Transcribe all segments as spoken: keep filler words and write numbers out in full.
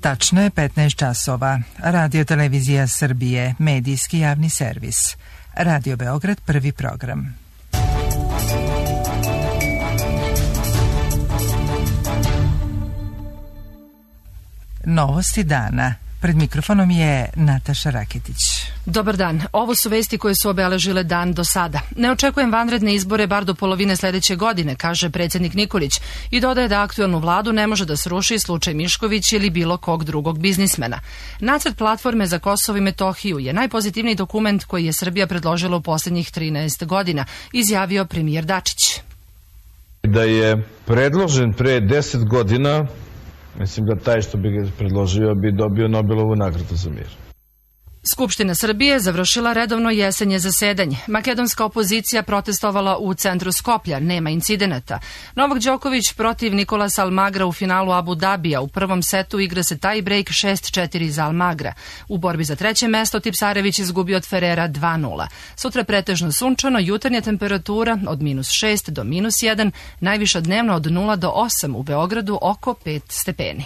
Tačno je petnaest časova. Radio Televizija Srbije, medijski javni servis. Radio Beograd, prvi program. Novosti dana. Pred mikrofonom je Nataša Raketić. Dobar dan. Ovo su vesti koje su obeležile dan do sada. Ne očekujem vanredne izbore bar do polovine sledeće godine, kaže predsjednik Nikolić i dodaje da aktuelnu vladu ne može da sruši slučaj Mišković ili bilo kog drugog biznismena. Nacrt platforme za Kosovo i Metohiju je najpozitivniji dokument koji je Srbija predložila u posljednjih trinaest godina, izjavio premijer Dačić. Da je predložen pre deset godina, mislim da taj što bi ga predložio bi dobio Nobelovu nagradu za mir. Skupština Srbije završila redovno jesenje zasedanje. Makedonska opozicija protestovala u centru Skoplja, nema incidenata. Novak Đoković protiv Nikolasa Almagra u finalu Abu Dabija. U prvom setu igra se taj break šest četiri za Almagra. U borbi za treće mesto Tipsarević izgubio od Ferrera dva nula. Sutra pretežno sunčano, jutarnja temperatura od minus šest do minus jedan, najviša dnevno od nula do osam, u Beogradu oko pet stepeni.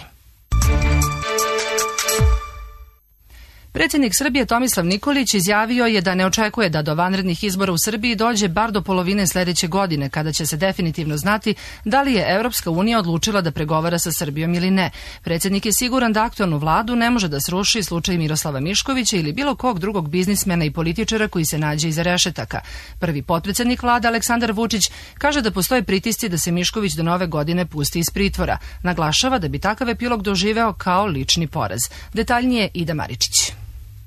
Predsjednik Srbije Tomislav Nikolić izjavio je da ne očekuje da do vanrednih izbora u Srbiji dođe bar do polovine sledeće godine, kada će se definitivno znati da li je Evropska unija odlučila da pregovara sa Srbijom ili ne. Predsjednik je siguran da aktualnu vladu ne može da sruši slučaj Miroslava Miškovića ili bilo kog drugog biznismena i političara koji se nađe iza rešetaka. Prvi potpredsjednik vlade Aleksandar Vučić kaže da postoje pritisci da se Mišković do nove godine pusti iz pritvora. Naglašava da bi takav epilog doživeo kao lični poraz. Detaljnije Ida Maričić.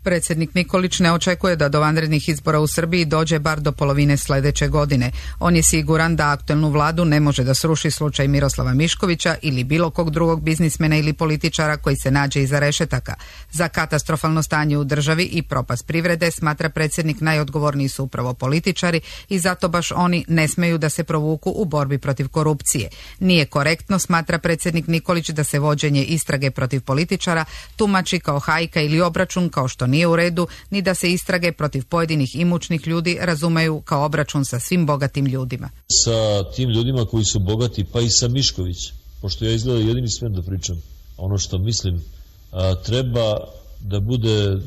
Predsjednik Nikolić ne očekuje da do vanrednih izbora u Srbiji dođe bar do polovine sledeće godine. On je siguran da aktuelnu vladu ne može da sruši slučaj Miroslava Miškovića ili bilo kog drugog biznismena ili političara koji se nađe iza rešetaka. Za katastrofalno stanje u državi i propast privrede, smatra predsjednik, najodgovorniji su upravo političari i zato baš oni ne smeju da se provuku u borbi protiv korupcije. Nije korektno, smatra predsjednik Nikolić, da se vođenje istrage protiv političara tumači kao hajka ili obračun, kao što nije u redu, ni da se istrage protiv pojedinih imućnih ljudi razumeju kao obračun sa svim bogatim ljudima. Sa tim ljudima koji su bogati, pa i sa Mišković, pošto ja izgleda jedini smem da pričam, ono što mislim, a, treba da bude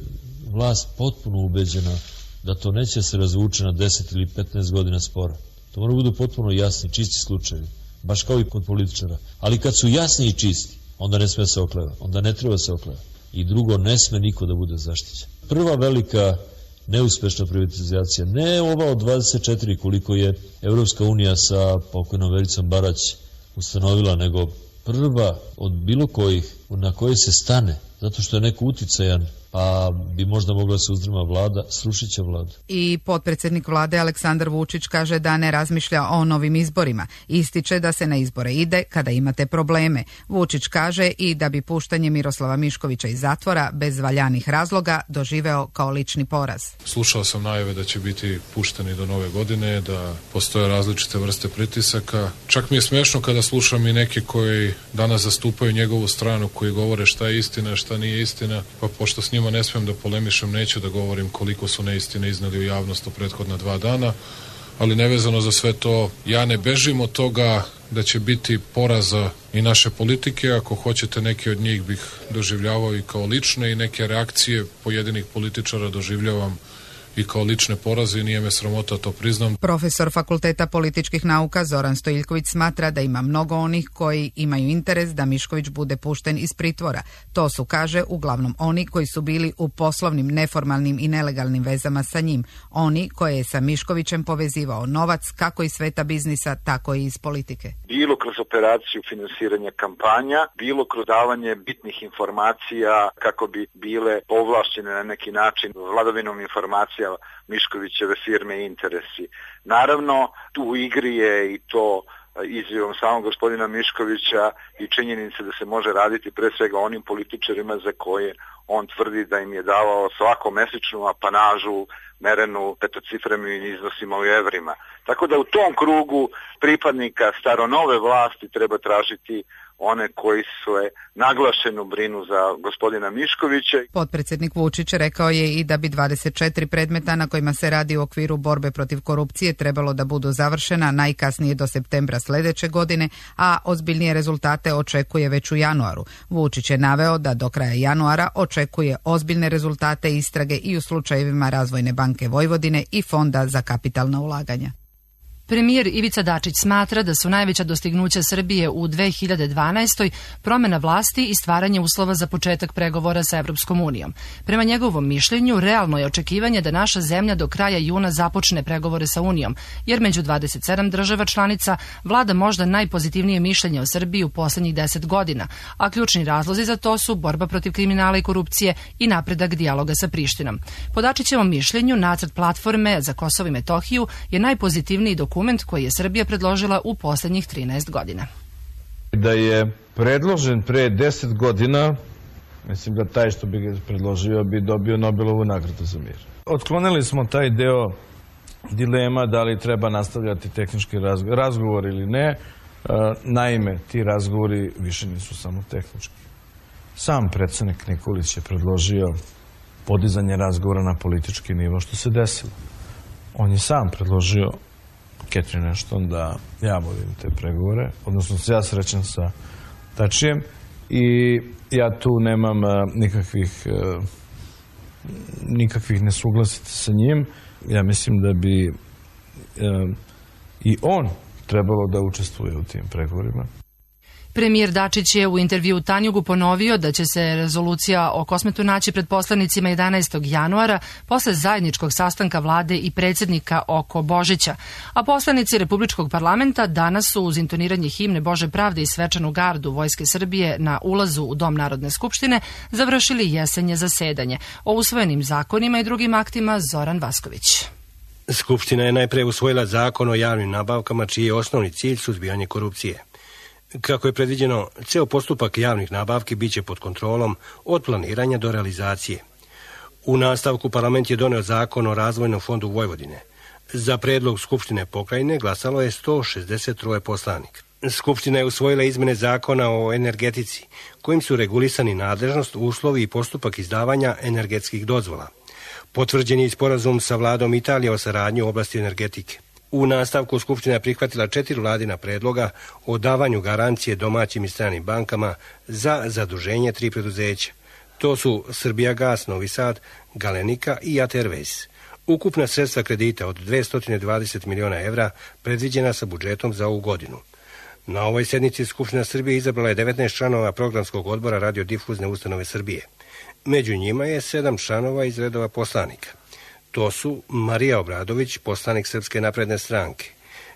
vlast potpuno ubeđena da to neće se razvuče na deset ili petnaest godina spora. To mora budu potpuno jasni, čisti slučajevi, baš kao i kod političara. Ali kad su jasni i čisti, onda ne sme se okleva, onda ne treba se okleva. I drugo, ne sme niko da bude zaštićen. Prva velika neuspešna privatizacija, ne ova od dvadeset četiri koliko je Evropska unija sa pokojnom Vericom Barać ustanovila, nego prva od bilo kojih na koje se stane, zato što je neko uticajan, pa bi možda mogla se uzdrma vlada, srušit će vladu. I potpredsjednik vlade Aleksandar Vučić kaže da ne razmišlja o novim izborima. Ističe da se na izbore ide kada imate probleme. Vučić kaže i da bi puštanje Miroslava Miškovića iz zatvora bez valjanih razloga doživeo kao lični poraz. Slušao sam najave da će biti pušteni do nove godine, da postoje različite vrste pritisaka. Čak mi je smešno kada slušam i neke koji danas zastupaju njegovu stranu, koji govore šta je istina, šta nije istina, pa pošto s njima ne smijem da polemišem, neću da govorim koliko su neistine iznali u javnost u prethodna dva dana, ali nevezano za sve to, ja ne bežim od toga da će biti poraza i naše politike. Ako hoćete, neke od njih bih doživljavao i kao lične i neke reakcije pojedinih političara doživljavam i kao lične poraze i nije me sramota, to priznam. Profesor Fakulteta političkih nauka Zoran Stojiljković smatra da ima mnogo onih koji imaju interes da Mišković bude pušten iz pritvora. To su, kaže, uglavnom oni koji su bili u poslovnim, neformalnim i nelegalnim vezama sa njim. Oni koje je sa Miškovićem povezivao novac kako iz sveta biznisa, tako i iz politike. Bilo kroz operaciju finansiranja kampanja, bilo kroz davanje bitnih informacija kako bi bile povlašćene na neki način vladavinom informacija Miškovićeve firme i interesi. Naravno, tu u igri je i to izjavom samog gospodina Miškovića i činjenice da se može raditi pre svega onim političarima za koje on tvrdi da im je davao svako mesečnu apanažu merenu petocifrenim iznosima u evrima. Tako da u tom krugu pripadnika staronove vlasti treba tražiti one koji su naglašeno brinu za gospodina Miškovića. Potpredsjednik Vučić rekao je i da bi dvadeset četiri predmeta na kojima se radi u okviru borbe protiv korupcije trebalo da budu završena najkasnije do septembra sljedeće godine, a ozbiljnije rezultate očekuje već u januaru. Vučić je naveo da do kraja januara očekuje ozbiljne rezultate istrage i u slučajevima Razvojne banke Vojvodine i Fonda za kapitalna ulaganja. Premijer Ivica Dačić smatra da su najveća dostignuća Srbije u dve hiljade dvanaestoj promjena vlasti i stvaranje uslova za početak pregovora sa Evropskom unijom. Prema njegovom mišljenju, realno je očekivanje da naša zemlja do kraja juna započne pregovore sa Unijom, jer među dvadeset sedam država članica vlada možda najpozitivnije mišljenje o Srbiji u posljednjih deset godina, a ključni razlozi za to su borba protiv kriminala i korupcije i napredak dijaloga sa Prištinom. Po Dačićevom mišljenju, nacrt platforme za Kosovo i Metohiju je najpozitivniji dokument dokument koji je Srbija predložila u posljednjih trinaest godina. Da je predložen pre deset godina, mislim da taj što bi ga predložio bi dobio Nobelovu nagradu za mir. Otklonili smo taj deo dilema da li treba nastavljati tehnički razgovor ili ne. Naime, ti razgovori više nisu samo tehnički. Sam predsjednik Nikolić je predložio podizanje razgovora na politički nivo, što se desilo. On je sam predložio Catherine Ashton da ja vodim te pregovore, odnosno ja srećan sa Tačijem i ja tu nemam nikakvih nikakvih nesuglasica sa njim. Ja mislim da bi i on trebalo da učestvuje u tim pregovorima. Premijer Dačić je u intervju Tanjugu ponovio da će se rezolucija o Kosmetu naći pred poslanicima jedanaestog januara posle zajedničkog sastanka vlade i predsjednika oko Božića. A poslanici Republičkog parlamenta danas su uz intoniranje himne Bože pravde i svečanu gardu Vojske Srbije na ulazu u Dom Narodne skupštine završili jesenje zasedanje. O usvojenim zakonima i drugim aktima Zoran Vasković. Skupština je najpre usvojila zakon o javnim nabavkama čiji je osnovni cilj suzbijanje korupcije. Kako je predviđeno, ceo postupak javnih nabavki biće pod kontrolom od planiranja do realizacije. U nastavku parlament je doneo zakon o Razvojnom fondu Vojvodine. Za predlog Skupštine pokrajine glasalo je sto šezdeset tri poslanika. Skupština je usvojila izmene zakona o energetici, kojim su regulisani nadležnost, uslovi i postupak izdavanja energetskih dozvola. Potvrđen je i sporazum sa vladom Italije o saradnji u oblasti energetike. U nastavku Skupština je prihvatila četiri vladina predloga o davanju garancije domaćim i stranim bankama za zaduženje tri preduzeća. To su Srbijagas, Novi Sad, Galenika i A T Airways. Ukupna sredstva kredita od dvesta dvadeset miliona evra predviđena sa budžetom za ovu godinu. Na ovoj sednici Skupština Srbije izabrala je devetnaest članova programskog odbora radiodifuzne ustanove Srbije. Među njima je sedam članova iz redova poslanika. To su Marija Obradović, poslanik Srpske napredne stranke,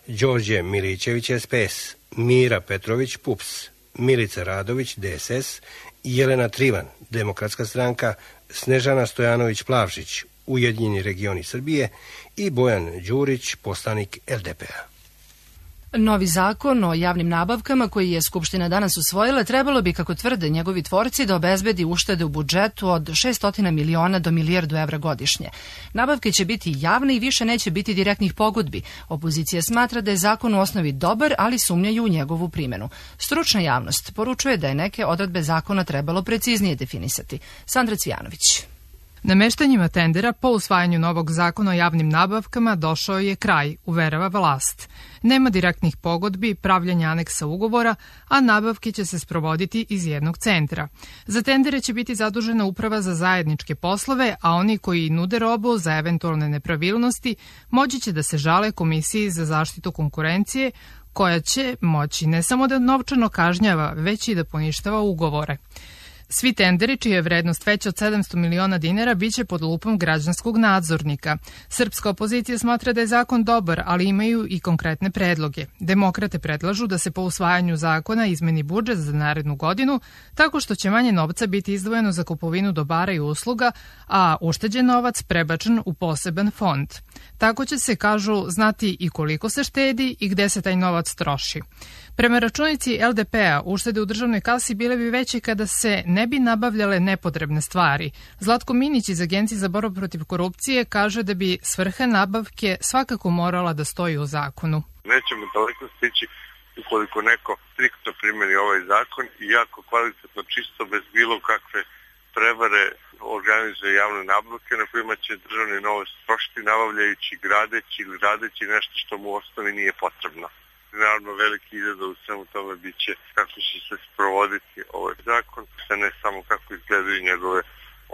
Đorđe Milićević, S P S, Mira Petrović, P U P S, Milica Radović, D S S, Jelena Trivan, Demokratska stranka, Snežana Stojanović Plavšić, Ujedinjeni regioni Srbije i Bojan Đurić, poslanik L D P-a. Novi zakon o javnim nabavkama koji je Skupština danas usvojila trebalo bi, kako tvrde njegovi tvorci, da obezbedi uštede u budžetu od šessto miliona do milijardu evra godišnje. Nabavke će biti javne i više neće biti direktnih pogodbi. Opozicija smatra da je zakon u osnovi dobar, ali sumnjaju u njegovu primjenu. Stručna javnost poručuje da je neke odredbe zakona trebalo preciznije definisati. Sandra Cvijanović. Nameštanjima tendera po usvajanju novog zakona o javnim nabavkama došao je kraj, uverava vlast. Nema direktnih pogodbi, pravljanja aneksa ugovora, a nabavke će se sprovoditi iz jednog centra. Za tendere će biti zadužena uprava za zajedničke poslove, a oni koji nude robu za eventualne nepravilnosti moći će da se žale Komisiji za zaštitu konkurencije, koja će moći ne samo da novčano kažnjava, već i da poništava ugovore. Svi tenderi, čija je vrednost veća od sedamsto miliona dinara, biće pod lupom građanskog nadzornika. Srpska opozicija smatra da je zakon dobar, ali imaju i konkretne predloge. Demokrate predlažu da se po usvajanju zakona izmeni budžet za narednu godinu, tako što će manje novca biti izdvojeno za kupovinu dobara i usluga, a ušteđen novac prebačen u poseban fond. Tako će se, kažu, znati i koliko se štedi i gde se taj novac troši. Prema računici L D P-a, uštede u državnoj kasi bile bi veće kada se ne bi nabavljale nepotrebne stvari. Zlatko Minić iz Agencije za borbu protiv korupcije kaže da bi svrha nabavke svakako morala da stoji u zakonu. Nećemo daleko stići ukoliko neko striktno primjeni ovaj zakon i jako kvalitetno, čisto, bez bilo kakve prevare organizuje javne nabavke na kojima će državni novac trošiti nabavljajući, gradeći ili radeći nešto što mu u osnovi nije potrebno. Naravno, veliki izazov u svemu tome bit će kako će se sprovoditi ovaj zakon, a ne samo kako izgledaju njegove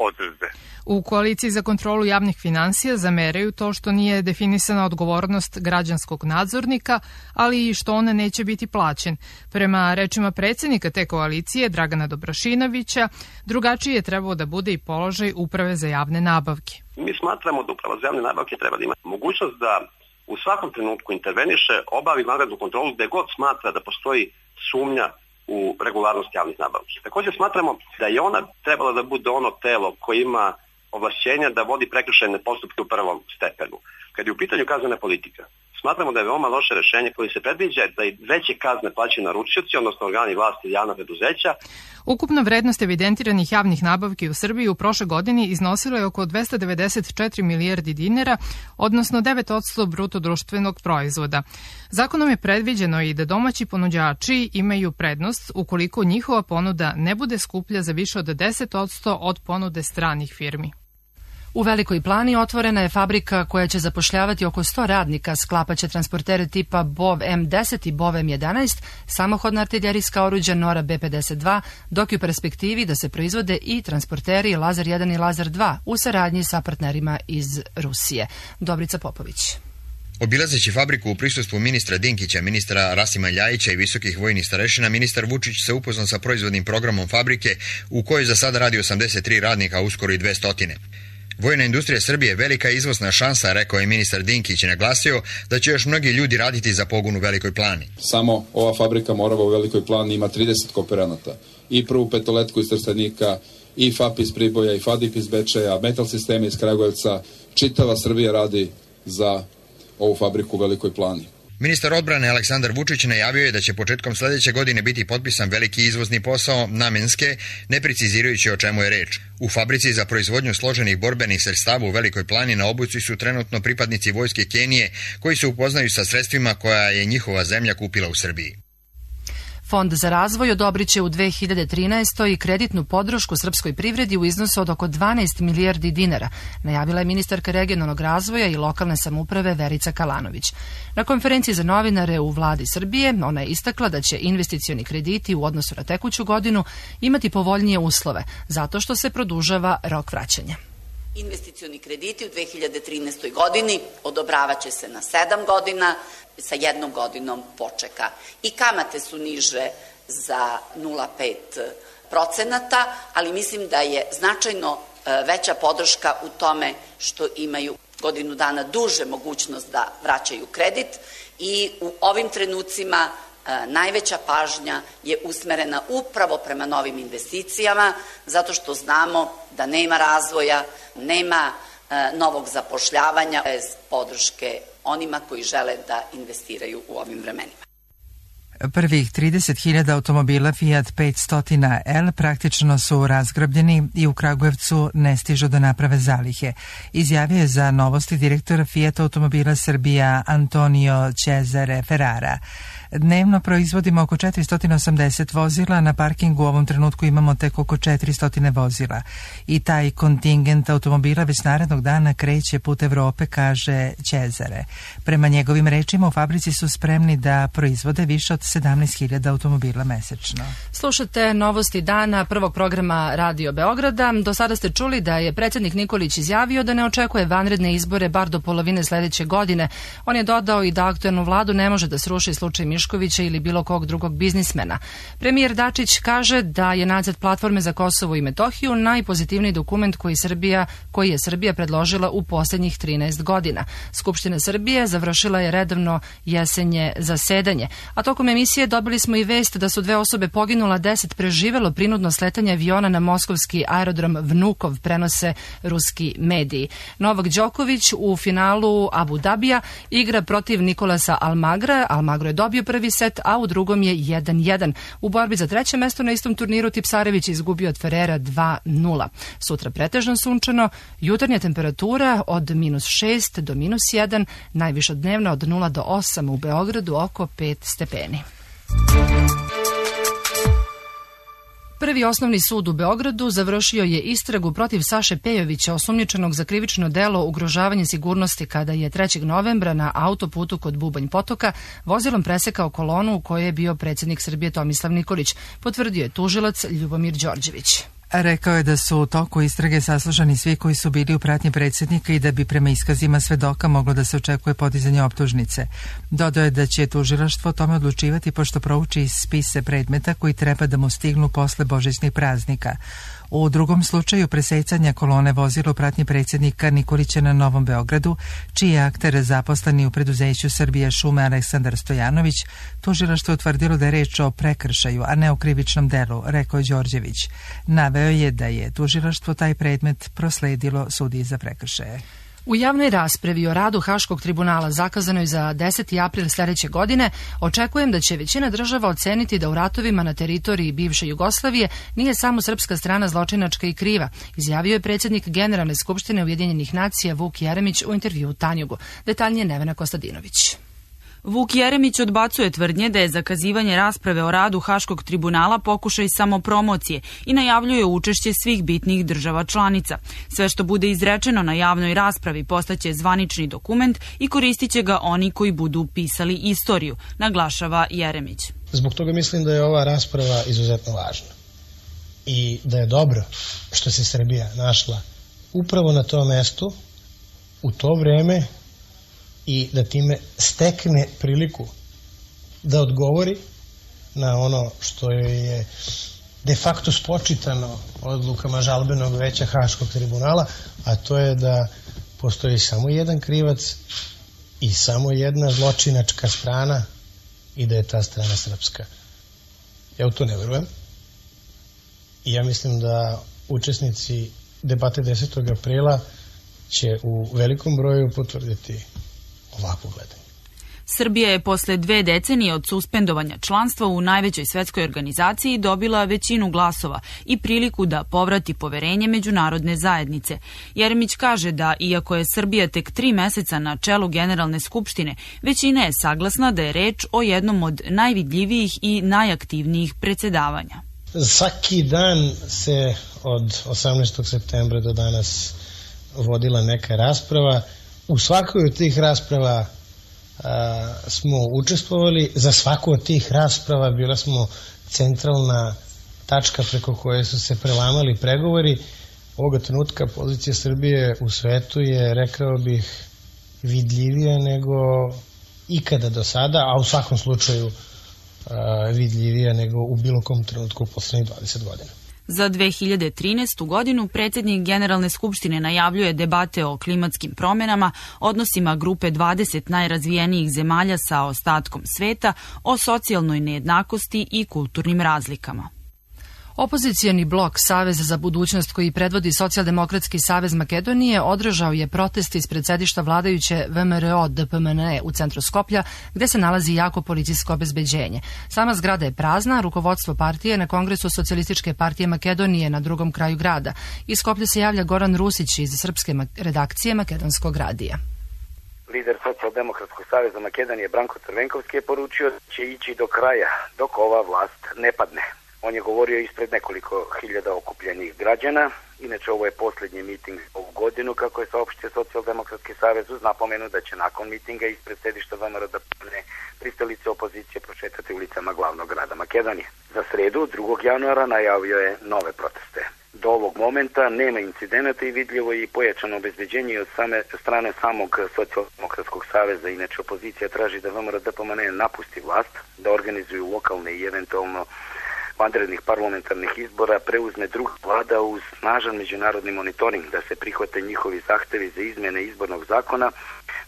odredbe. U koaliciji za kontrolu javnih finansija zameraju to što nije definisana odgovornost građanskog nadzornika, ali i što on neće biti plaćen. Prema rečima predsjednika te koalicije, Dragana Dobrašinovića, drugačiji je trebao da bude i položaj Uprave za javne nabavke. Mi smatramo da Uprava za javne nabavke treba da ima mogućnost da u svakom trenutku interveniše, obavi vanrednu kontrolu gde god smatra da postoji sumnja u regularnost javnih nabavki. Također smatramo da je ona trebala da bude ono telo koje ima ovlašćenja da vodi prekršajne postupke u prvom stepenu. Kad je u pitanju kaznena politika, smatramo da je veoma loše rešenje koje se predviđa da i veće kazne plaćaju naručioci, odnosno organi vlasti i javna preduzeća. Ukupna vrednost evidentiranih javnih nabavki u Srbiji u prošle godini iznosila je oko dvesta devedeset četiri milijardi dinara, odnosno devet posto bruto društvenog proizvoda. Zakonom je predviđeno i da domaći ponuđači imaju prednost ukoliko njihova ponuda ne bude skuplja za više od deset posto od ponude stranih firmi. U Velikoj Plani otvorena je fabrika koja će zapošljavati oko sto radnika, sklapaće transportere tipa Bov M deset i Bov M jedanaest, samohodna artiljerijska oruđa Nora B pedeset dva, dok je u perspektivi da se proizvode i transporteri Lazar jedan i Lazar dva u saradnji sa partnerima iz Rusije. Dobrica Popović. Obilazeći fabriku u prisustvu ministra Dinkića, ministra Rasima Ljajića i visokih vojnih starešina, ministar Vučić se upoznao sa proizvodnim programom fabrike u kojoj za sada radi osamdeset tri radnika, a uskoro i dvesta. Vojna industrija Srbije je velika izvozna šansa, rekao je ministar Dinkić i naglasio da će još mnogi ljudi raditi za pogon u Velikoj Plani. Samo ova fabrika Morava u Velikoj Plani ima trideset kooperanata. I prvu petoletku iz Trstenika, i F A P iz Priboja, i F A D I P iz Bečeja, Metal Sistemi iz Kragujevca. Čitava Srbija radi za ovu fabriku u Velikoj Plani. Ministar odbrane Aleksandar Vučić najavio je da će početkom sljedeće godine biti potpisan veliki izvozni posao namenske, ne precizirajući o čemu je reč. U fabrici za proizvodnju složenih borbenih sredstava u Velikoj Plani na obuci su trenutno pripadnici vojske Kenije koji se upoznaju sa sredstvima koja je njihova zemlja kupila u Srbiji. Fond za razvoj odobrit će u dve hiljade trinaestoj i kreditnu podršku srpskoj privredi u iznosu od oko dvanaest milijardi dinara, najavila je ministarka regionalnog razvoja i lokalne samouprave Verica Kalanović. Na konferenciji za novinare u vladi Srbije ona je istakla da će investicioni krediti u odnosu na tekuću godinu imati povoljnije uslove, zato što se produžava rok vraćanja. Investicioni krediti u dve hiljade trinaestoj godini odobravaće se na sedam godina sa jednom godinom počeka. I kamate su niže za nula zarez pet procenata, ali mislim da je značajno veća podrška u tome što imaju godinu dana duže mogućnost da vraćaju kredit i u ovim trenucima najveća pažnja je usmerena upravo prema novim investicijama, zato što znamo da nema razvoja, nema novog zapošljavanja bez podrške onima koji žele da investiraju u ovim vremenima. Prvih trideset hiljada automobila Fiat petsto L praktično su razgrabljeni i u Kragujevcu ne stižu da naprave zalihe. Izjavio je za Novosti direktor Fiat automobila Srbija Antonio Cesare Ferrara. Dnevno proizvodimo oko četiristo osamdeset vozila, na parkingu u ovom trenutku imamo tek oko četiristo vozila. I taj kontingent automobila već narednog dana kreće put Evrope, kaže Cesare. Prema njegovim rečima u fabrici su spremni da proizvode više od sedamnaest hiljada automobila mesečno. Slušate Novosti dana prvog programa Radio Beograda. Do sada ste čuli da je predsjednik Nikolić izjavio da ne očekuje vanredne izbore bar do polovine sljedeće godine. On je dodao i da aktuelnu vladu ne može da sruši slučaj Miškovića ili bilo kog drugog biznismena. Premijer Dačić kaže da je nacrt platforme za Kosovo i Metohiju najpozitivniji dokument koji, Srbija, koji je Srbija predložila u posljednjih trinaest godina. Skupština Srbije završila je redovno jesenje zasedanje, a tokom emisije dobili smo i vest da su dve osobe poginula, deset preživelo prinudno sletanje aviona na moskovski aerodrom Vnukov, prenose ruski mediji. Novak Đoković u finalu Abu Dabija igra protiv Nikolasa Almagra. Almagro je dobio prvi set, a u drugom je jedan jedan. U borbi za treće mesto na istom turniru Tipsarević izgubio od Ferrera dva nula. Sutra pretežno sunčano, jutarnja temperatura od minus šest do minus jedan, najviša dnevna od nula do osam, u Beogradu oko pet stepeni. Prvi osnovni sud u Beogradu završio je istragu protiv Saše Pejovića, osumnjičenog za krivično delo ugrožavanje sigurnosti kada je trećeg novembra na autoputu kod Bubanj Potoka vozilom presekao kolonu u kojoj je bio predsjednik Srbije Tomislav Nikolić, potvrdio je tužilac Ljubomir Đorđević. Rekao je da su u toku istrage saslušani svi koji su bili u pratnji predsjednika i da bi prema iskazima svedoka moglo da se očekuje podizanje optužnice. Dodao je da će tužilaštvo o tome odlučivati pošto prouči spise predmeta koji treba da mu stignu posle božićnih praznika. U drugom slučaju presecanja kolone vozila u pratnji predsjednika Nikolića na Novom Beogradu, čiji je akter zaposleni u preduzeću Srbije šume Aleksandar Stojanović, tužilaštvo je utvrdilo da je reč o prekršaju, a ne o krivičnom delu, rekao je Đorđević. Naveo je da je tužilaštvo taj predmet prosledilo sudiji za prekršaje. U javnoj raspravi o radu Haškog tribunala zakazanoj za deseti april sljedeće godine očekujem da će većina država oceniti da u ratovima na teritoriji bivše Jugoslavije nije samo srpska strana zločinačka i kriva, izjavio je predsjednik Generalne skupštine Ujedinjenih nacija Vuk Jeremić u intervjuu Tanjugu. Detaljnije Nevena Kostadinović. Vuk Jeremić odbacuje tvrdnje da je zakazivanje rasprave o radu Haškog tribunala pokušaj samopromocije i najavljuje učešće svih bitnih država članica. Sve što bude izrečeno na javnoj raspravi postaće zvanični dokument i koristit će ga oni koji budu pisali istoriju, naglašava Jeremić. Zbog toga mislim da je ova rasprava izuzetno važna i da je dobro što se Srbija našla upravo na tom mestu u to vreme i da time stekne priliku da odgovori na ono što je de facto spočitano odlukama žalbenog veća Haškog tribunala, a to je da postoji samo jedan krivac i samo jedna zločinačka strana i da je ta strana srpska. Ja u to ne verujem i ja mislim da učesnici debate desetog aprila će u velikom broju potvrditi ovako gledanje. Srbija je posle dve decenije od suspendovanja članstva u najvećoj svetskoj organizaciji dobila većinu glasova i priliku da povrati poverenje međunarodne zajednice. Jeremić kaže da, iako je Srbija tek tri meseca na čelu Generalne skupštine, većina je saglasna da je reč o jednom od najvidljivijih i najaktivnijih predsedavanja. Svaki dan se od osamnaestog septembra do danas vodila neka rasprava. U svakoj od tih rasprava a, smo učestvovali, za svaku od tih rasprava bila smo centralna tačka preko koje su se prelamali pregovori. Ovoga trenutka pozicija Srbije u svetu je, rekao bih, vidljivija nego ikada do sada, a u svakom slučaju a, vidljivija nego u bilo kom trenutku u poslednjih dvadeset godina. Za dve hiljade trinaestu. godinu predsjednik Generalne skupštine najavljuje debate o klimatskim promjenama, odnosima grupe dvadeset najrazvijenijih zemalja sa ostatkom sveta, o socijalnoj nejednakosti i kulturnim razlikama. Opozicijani blok Savez za budućnost koji predvodi Socijaldemokratski savez Makedonije održao je protest ispred sedišta vladajuće V M R O D P M N E u centru Skoplja, gde se nalazi jako policijsko obezbeđenje. Sama zgrada je prazna, rukovodstvo partije na Kongresu Socijalističke partije Makedonije na drugom kraju grada. Iz Skoplja se javlja Goran Rusić iz srpske redakcije Makedonskog radija. Lider Socijaldemokratskog saveza Makedonije Branko Crvenkovski je poručio da će ići do kraja dok ova vlast ne padne. On je govorio ispred nekoliko hiljada okupljenih građana. Inače, ovo je posljednji miting ovu godinu, kako je saopštio Socijaldemokratski savez, uz napomenu da će nakon mitinga ispred sedišta V M R O D P M N E pristalice opozicije prošetati ulicama glavnog grada Makedonije. Za sredu, drugog januara, najavio je nove proteste. Do ovog momenta nema incidenata i vidljivo je i pojačano obezbeđenje od same strane samog Socijaldemokratskog saveza. Inače, opozicija traži da V M R O D P M N E napusti vlast, da organizuju lokalne i eventualno vanrednih parlamentarnih izbora preuzme druga vlada uz snažan međunarodni monitoring, da se prihvate njihovi zahtevi za izmjene izbornog zakona,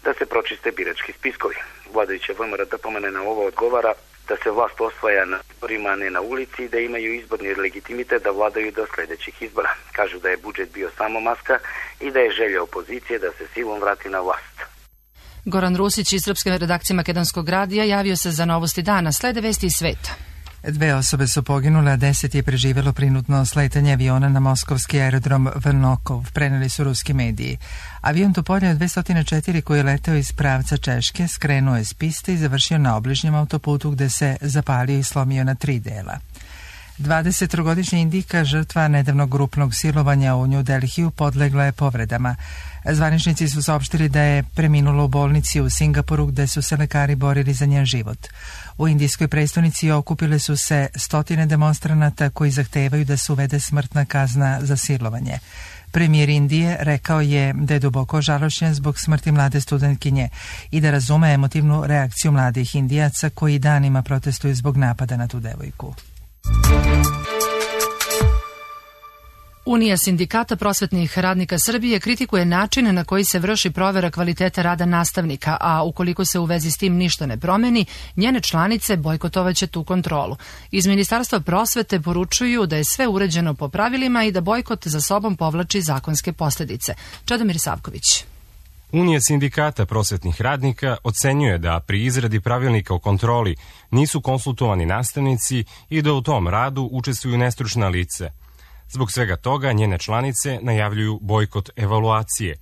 da se pročiste birački spiskovi. Vladajuća V M R O D P M N E na ovo odgovara da se vlast osvaja na izborima, a ne na ulici i da imaju izborni legitimitet da vladaju do sljedećih izbora. Kažu da je budžet bio samo maska i da je želja opozicije da se silom vrati na vlast. Goran Rusić iz srpske redakcije Makedonskog radija javio se za novosti dana. Slede vesti iz sveta. Dve osobe su poginule, a deset je preživjelo prinudno sletanje aviona na moskovski aerodrom Vnokov, preneli su ruski mediji. Avion Tupolje dve stotine četiri koji je leteo iz pravca Češke skrenuo je s piste i završio na obližnjem autoputu gde se zapalio i slomio na tri dela. dvadesettrogodišnja Indijka, žrtva nedavnog grupnog silovanja u New Delhiju, podlegla je povredama. Zvaničnici su saopštili da je preminula u bolnici u Singapuru gde su se lekari borili za njen život. U indijskoj prestonici okupile su se stotine demonstranata koji zahtevaju da se uvede smrtna kazna za silovanje. Premijer Indije rekao je da je duboko žalošćen zbog smrti mlade studentkinje i da razume emotivnu reakciju mladih Indijaca koji danima protestuju zbog napada na tu devojku. Unija sindikata prosvetnih radnika Srbije kritikuje način na koji se vrši provera kvaliteta rada nastavnika, a ukoliko se u vezi s tim ništa ne promeni, njene članice bojkotovaće tu kontrolu. Iz Ministarstva prosvete poručuju da je sve uređeno po pravilima i da bojkot za sobom povlači zakonske posljedice. Čedomir Savković. Unija sindikata prosvetnih radnika ocenjuje da pri izradi pravilnika o kontroli nisu konsultovani nastavnici i da u tom radu učestvuju nestručna lice. Zbog svega toga njene članice najavljuju bojkot evaluacije.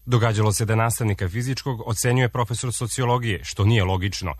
Događalo se da nastavnika fizičkog ocenjuje profesor sociologije, što nije logično,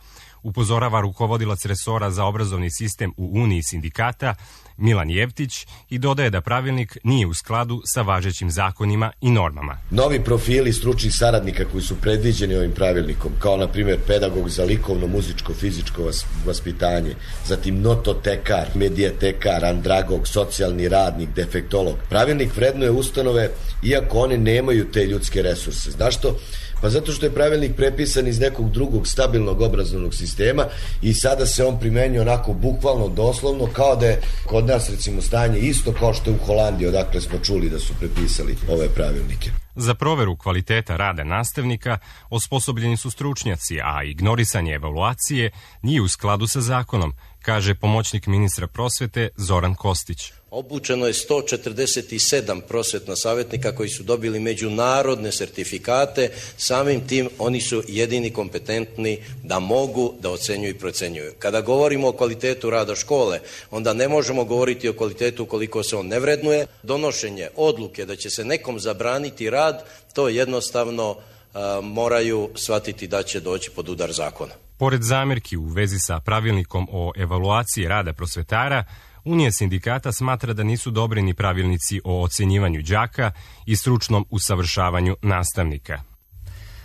upozorava rukovodilac resora za obrazovni sistem u Uniji sindikata Milan Jevtić i dodaje da pravilnik nije u skladu sa važećim zakonima i normama. Novi profili stručnih saradnika koji su predviđeni ovim pravilnikom, kao na primjer pedagog za likovno, muzičko, fizičko vaspitanje, zatim nototekar, medijatekar, andragog, socijalni radnik, defektolog. Pravilnik vrednuje ustanove iako one nemaju te ljudske resurse. Znaš što? Pa zato što je pravilnik prepisan iz nekog drugog stabilnog obrazovnog sistema i sada se on primenjuje onako bukvalno, doslovno, kao da je kod nas recimo stanje isto kao što je u Holandiji, odakle smo čuli da su prepisali ove pravilnike. Za proveru kvaliteta rada nastavnika osposobljeni su stručnjaci, a ignorisanje evaluacije nije u skladu sa zakonom, kaže pomoćnik ministra prosvete Zoran Kostić. Obučeno je sto četrdeset sedam prosvetna savjetnika koji su dobili međunarodne sertifikate, samim tim oni su jedini kompetentni da mogu da ocenjuju i procenjuju. Kada govorimo o kvalitetu rada škole, onda ne možemo govoriti o kvalitetu koliko se on ne vrednuje. Donošenje odluke da će se nekom zabraniti rad, to jednostavno a, moraju shvatiti da će doći pod udar zakona. Pored zamerki u vezi sa pravilnikom o evaluaciji rada prosvetara, Unija sindikata smatra da nisu dobri ni pravilnici o ocenjivanju đaka i stručnom usavršavanju nastavnika.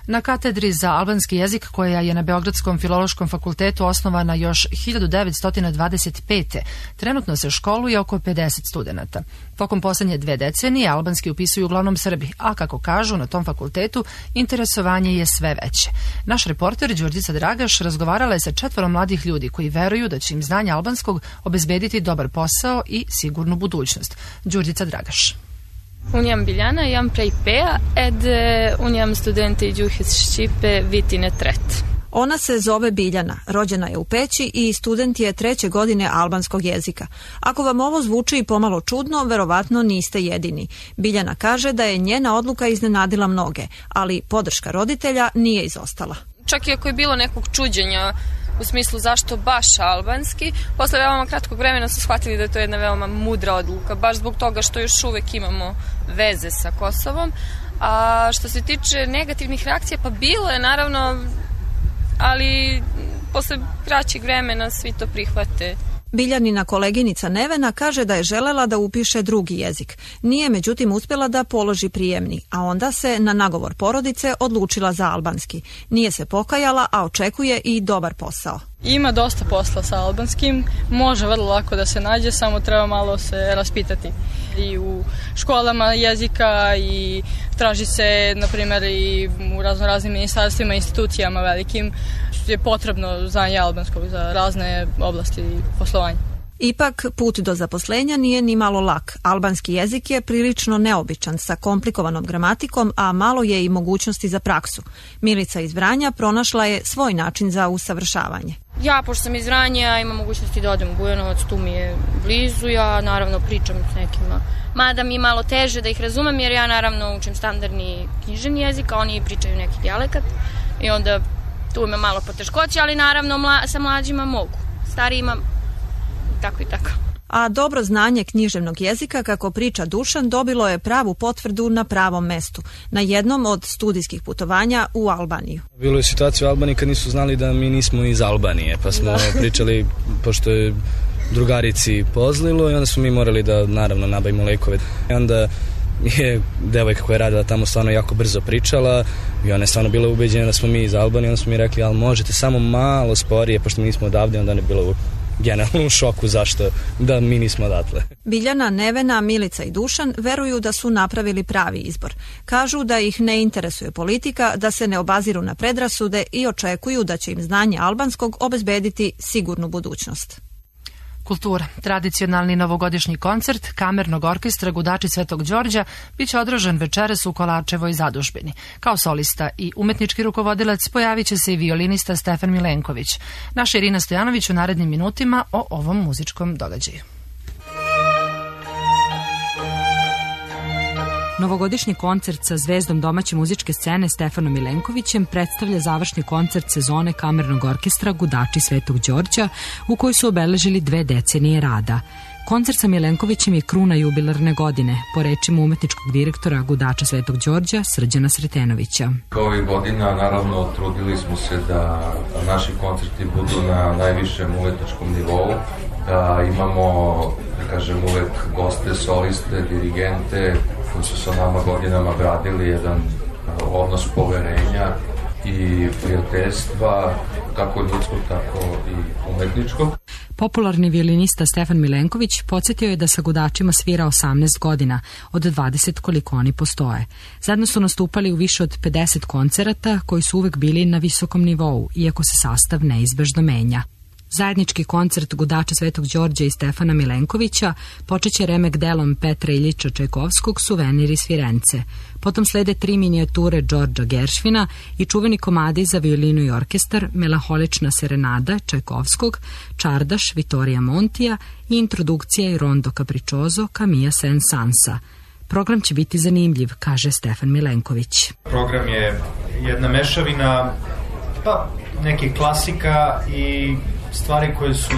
Na katedri za albanski jezik, koja je na Beogradskom filološkom fakultetu osnovana još hiljadu devetsto dvadeset pete. trenutno se školuje oko pedeset studenata. Tokom poslednje dve decenije albanski upisuju uglavnom Srbi, a kako kažu na tom fakultetu, interesovanje je sve veće. Naš reporter Đurđica Dragaš razgovarala je sa četvorom mladih ljudi koji veruju da će im znanje albanskog obezbediti dobar posao i sigurnu budućnost. Đurđica Dragaš. Unë jam Biljana, jam prej Peja, edhe unë jam studente i gjuhës Shqipe vitin e tret. Ona se zove Biljana, rođena je u Peći i student je treće godine albanskog jezika. Ako vam ovo zvuči pomalo čudno, verovatno niste jedini. Biljana kaže da je njena odluka iznenadila mnoge, ali podrška roditelja nije izostala. Čak i ako je bilo nekog čuđenja u smislu zašto baš albanski, posle veoma kratkog vremena su shvatili da je to jedna veoma mudra odluka, baš zbog toga što još uvek imamo veze sa Kosovom. A što se tiče negativnih reakcija, pa bilo je naravno, ali posle kraćeg vremena svi to prihvate. Biljanina koleginica Nevena kaže da je želela da upiše drugi jezik. Nije međutim uspjela da položi prijemni, a onda se na nagovor porodice odlučila za albanski. Nije se pokajala, a očekuje i dobar posao. Ima dosta posla sa albanskim, može vrlo lako da se nađe, samo treba malo se raspitati. I u školama jezika i traži se, na primjer, i u razno raznim ministarstvima, institucijama velikim je potrebno znanje albanskog za razne oblasti poslovanja. Ipak, put do zaposlenja nije ni malo lak. Albanski jezik je prilično neobičan sa komplikovanom gramatikom, a malo je i mogućnosti za praksu. Milica iz Vranja pronašla je svoj način za usavršavanje. Ja, pošto sam iz Vranja, imam mogućnosti da odem u Bujanovac, tu mi je blizu, ja naravno pričam s nekima. Mada mi je malo teže da ih razumem, jer ja naravno učim standardni književni jezik, a oni pričaju neki dijalekat i onda tu ima malo poteškoće, ali naravno mla, sa mlađima mogu. Starijima tako i tako. A dobro znanje književnog jezika, kako priča Dušan, dobilo je pravu potvrdu na pravom mestu, na jednom od studijskih putovanja u Albaniju. Bilo je situacija u Albaniji kad nisu znali da mi nismo iz Albanije, pa smo pričali, pošto je drugarici pozlilo i onda smo mi morali da naravno nabavimo lekove. I onda je devojka koja je radila tamo stvarno jako brzo pričala i ona je stvarno bila ubeđena da smo mi iz Albanije. Onda smo mi rekli, ali možete samo malo sporije, pošto mi nismo odavde. Onda je bilo generalno u šoku zašto da mi nismo odatle. Biljana, Nevena, Milica i Dušan veruju da su napravili pravi izbor. Kažu da ih ne interesuje politika, da se ne obaziru na predrasude i očekuju da će im znanje albanskog obezbediti sigurnu budućnost. Kultura. Tradicionalni novogodišnji koncert kamernog orkestra Gudači Svetog Đorđa biće održan večeras u Kolačevoj zadužbini. Kao solista i umetnički rukovodilac pojavit će se i violinista Stefan Milenković. Naša Irina Stojanović u narednim minutima o ovom muzičkom događaju. Novogodišnji koncert sa zvezdom domaće muzičke scene Stefanom Milenkovićem predstavlja završni koncert sezone kamernog orkestra Gudači Svetog Đorđa, u kojoj su obeležili dve decenije rada. Koncert sa Milenkovićem je kruna jubilarne godine, po rečima umetničkog direktora Gudača Svetog Đorđa Srđana Sretenovića. Ovih godina naravno trudili smo se da naši koncerti budu na najvišem umetničkom nivou, da imamo, da kažem, uvek goste, soliste, dirigente koji su sa nama godinama gradili jedan odnos poverenja i prijateljstva, kako ljudskog, tako i umetničkog. Popularni violinista Stefan Milenković podsjetio je da sa Gudačima svira osamnaest godina, od dvadeset koliko oni postoje. Zajedno su nastupali u više od pedeset koncerata koji su uvek bili na visokom nivou, iako se sastav neizbežno menja. Zajednički koncert Gudača Svetog Đorđa i Stefana Milenkovića počeće remek delom Petra Iljiča Čajkovskog Suvenir iz Firence. Potom slede tri minijature Đorđa Geršvina i čuveni komadi za violinu i orkestar Melaholična serenada Čajkovskog, Čardaš Vittorija Montija i introdukcija i rondo capriccioso Camilla Saint-Sansa. Program će biti zanimljiv, kaže Stefan Milenković. Program je jedna mešavina pa nekih klasika i stvari koje su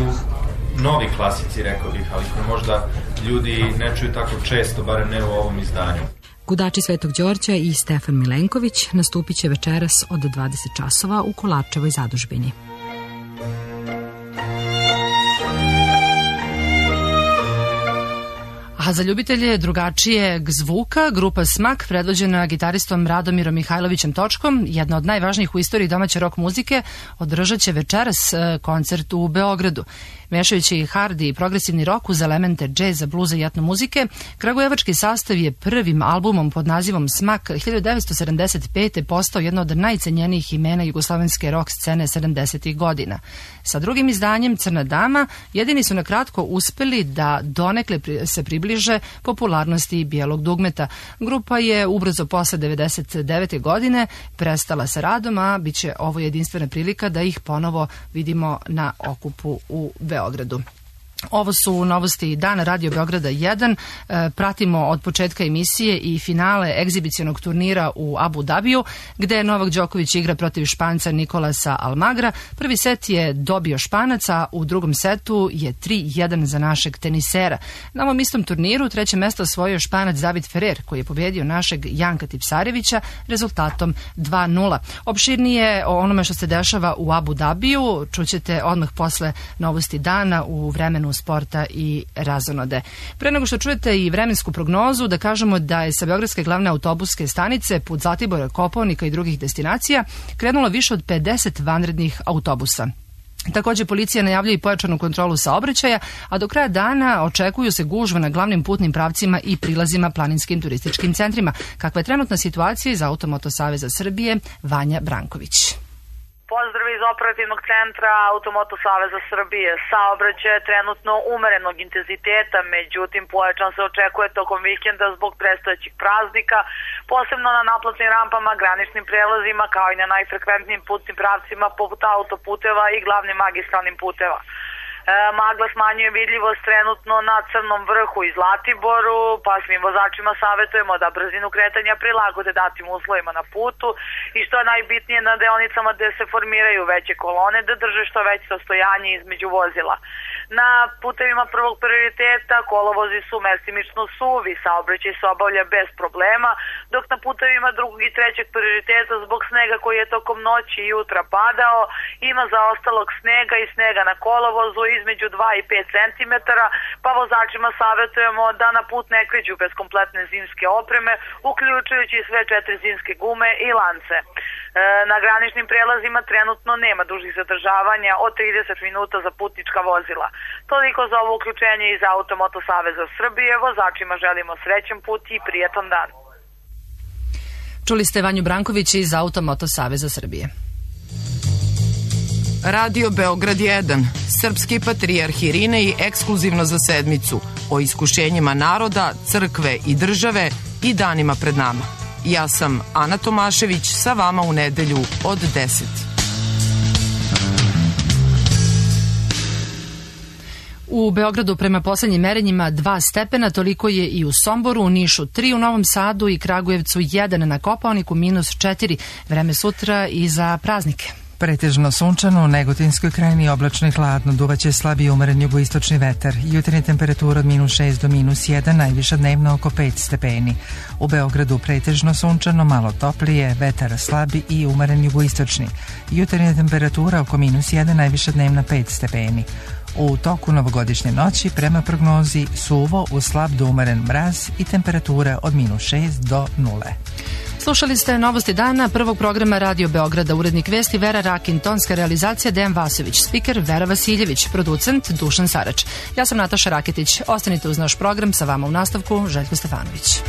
novi klasici, rekao bih, ali koje možda ljudi ne čuju tako često, barem ne u ovom izdanju. Gudači Svetog Đorđa i Stefan Milenković nastupit će večeras od dvadeset časova u Kolačevoj zadužbini. A za ljubitelje drugačijeg zvuka, grupa Smak, predvođena gitaristom Radomirom Mihajlovićem Točkom, jedna od najvažnijih u istoriji domaće rock muzike, održat će večeras koncert u Beogradu. Mešajući hard i progresivni rock uz elemente džeza, bluza i etno muzike, kragujevački sastav je prvim albumom pod nazivom Smak hiljadu devetsto sedamdeset pete postao jedno od najcenjenijih imena jugoslovenske rock scene sedamdesetih godina. Sa drugim izdanjem Crna dama jedini su na kratko uspeli da donekle se približe popularnosti bijelog dugmeta. Grupa je ubrzo posle devedeset devete godine prestala sa radom, a bit će ovo jedinstvena prilika da ih ponovo vidimo na okupu u Beogradu. Ovo su novosti dana Radio Beograda jedan. E, pratimo od početka emisije i finale egzibicionog turnira u Abu Dabiju, gde Novak Đoković igra protiv Španca Nikolasa Almagra. Prvi set je dobio Španac, a u drugom setu je tri jedan za našeg tenisera. Na ovom istom turniru treće mesto osvojio Španac David Ferrer, koji je pobedio našeg Janka Tipsarevića rezultatom dva nula. Opširnije o onome što se dešava u Abu Dabiju čućete odmah posle novosti dana u vremenu sporta i razonode. Pre nego što čujete i vremensku prognozu, da kažemo da je sa beogradske glavne autobuske stanice put Zlatibora, Kopaonika i drugih destinacija krenulo više od pedeset vanrednih autobusa. Također policija najavljuje i pojačanu kontrolu saobraćaja, a do kraja dana očekuju se gužve na glavnim putnim pravcima i prilazima planinskim turističkim centrima. Kakva je trenutna situacija iz Automoto Saveza Srbije, Vanja Branković. Pozdrav iz operativnog centra Automoto Saveza Srbije. Saobraćaj je trenutno umerenog intenziteta, međutim pojačan se očekuje tokom vikenda zbog predstojećih praznika, posebno na naplatnim rampama, graničnim prelazima, kao i na najfrekventnijim putnim pravcima poput autoputeva i glavnim magistralnim puteva. Magla smanjuje vidljivost trenutno na Crnom vrhu i Zlatiboru, pa svim vozačima savjetujemo da brzinu kretanja prilagode datim uslovima na putu i što je najbitnije na deonicama gde se formiraju veće kolone da drže što veće rastojanje između vozila. Na putevima prvog prioriteta kolovozi su mestimično suvi, saobraćaj se obavlja bez problema, dok na putevima drugog i trećeg prioriteta zbog snega koji je tokom noći i jutra padao, ima zaostalog snega i snega na kolovozu između dva i pet centimetara, pa vozačima savjetujemo da na put ne kreću bez kompletne zimske opreme, uključujući sve četiri zimske gume i lance. E, na graničnim prelazima trenutno nema dužih zadržavanja od trideset minuta za putnička vozila. Toliko za ovo uključenje iz Automoto Saveza Srbije. Vozačima želimo srećan put i prijetan dan. Čuli ste Vanju Branković iz Automoto Saveza Srbije. Radio Beograd jedan, srpski patrijarh Irinej ekskluzivno za sedmicu o iskušenjima naroda, crkve i države i danima pred nama. Ja sam Ana Tomašević, sa vama u nedelju od deset. U Beogradu prema poslednjim merenjima dva stepena, toliko je i u Somboru, u Nišu tri, u Novom Sadu i Kragujevcu jedan, na Kopaoniku minus četiri. Vreme sutra i za praznike. Pretežno sunčano, u Negotinskoj krajini oblačno i hladno, duvaće slab i umeren jugoistočni vetar. Jutarnja temperatura od minus šest do minus jedan, najviša dnevno oko pet stepeni. U Beogradu pretežno sunčano, malo toplije, vetar slabi i umeren jugoistočni. Jutarnja temperatura oko minus jedan, najviša dnevna pet stepeni. U toku novogodišnje noći prema prognozi suvo u slab do umeren mraz i temperatura od minus šest do nule. Slušali ste Novosti dana prvog programa Radio Beograda, urednik vesti Vera Rakin, tonska realizacija Dejan Vasović, spiker Vera Vasiljević, producent Dušan Sarač. Ja sam Nataša Raketić. Ostanite uz naš program, sa vama u nastavku Željko Stefanović.